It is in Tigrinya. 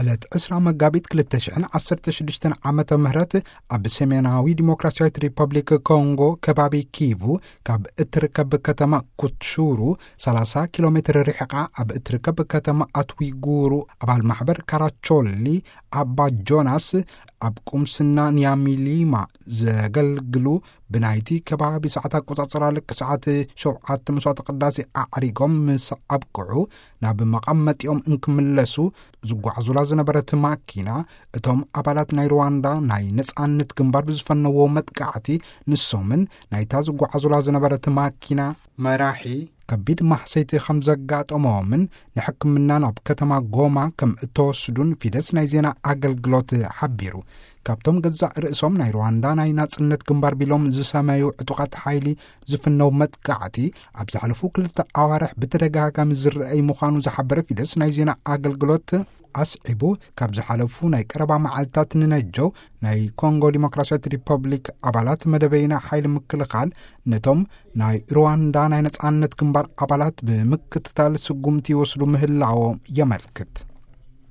ዕለት ዕስራ መጋቢት ክልተ ሽሕን ዓሰርተ ሽዱሽተን ዓመተ ምህረት ኣብ ሰሜናዊ ዲሞክራሲያዊት ሪፐብሊክ ኮንጎ ከባቢ ኪቩ ካብ እትርከብ ከተማ ኩትሹሩ ሰላሳ ኪሎ ሜትር ርሕቓ ኣብ እትርከብ ከተማ ኣትዊጉሩ ኣባል ማሕበር ካራቾሊ ኣባ ጆናስ ኣብ ቁምስና ኒያሚሊማ ዘገልግሉ ብናይቲ ከባቢ ሰዓት ኣቆጻጽራ ልክ ሰዓት ሸውዓተ መስዋዕተ ቅዳሴ ኣዕሪጎም ምስ ኣብቅዑ ናብ መቐመጢኦም እንክምለሱ ዝጓዓዙላ ዝነበረት ማኪና እቶም ኣባላት ናይ ሩዋንዳ ናይ ነጻነት ግንባር ብዝፈነዎ መጥቃዕቲ ንሶምን ናይታ ዝጓዓዙላ ዝነበረት ማኪና መራሒ ከቢድ ማሕሰይቲ ከም ዘጋጠሞምን ንሕክምና ናብ ከተማ ጎማ ከም እተወስዱን ፊደስ ናይ ዜና ኣገልግሎት ሓቢሩ። ካብቶም ገዛእ ርእሶም ናይ ሩዋንዳ ናይ ናጽነት ግንባር ቢሎም ዝሰመዩ ዕጡቓት ሓይሊ ዝፍነው መጥቃዕቲ ኣብ ዝሓለፉ ክልተ ኣዋርሕ ብተደጋጋሚ ዝረኣይ ምዃኑ ዝሓበረ ፊደስ ናይ ዜና ኣገልግሎት ኣስዒቡ፣ ካብ ዝሓለፉ ናይ ቀረባ መዓልታት ንነጀው ናይ ኮንጎ ዲሞክራሲያዊት ሪፐብሊክ ኣባላት መደበይና ሓይሊ ምክልኻል ነቶም ናይ ሩዋንዳ ናይ ነጻነት ግንባር ኣባላት ብምክትታል ስጉምቲ ይወስዱ ምህላዎም የመልክት።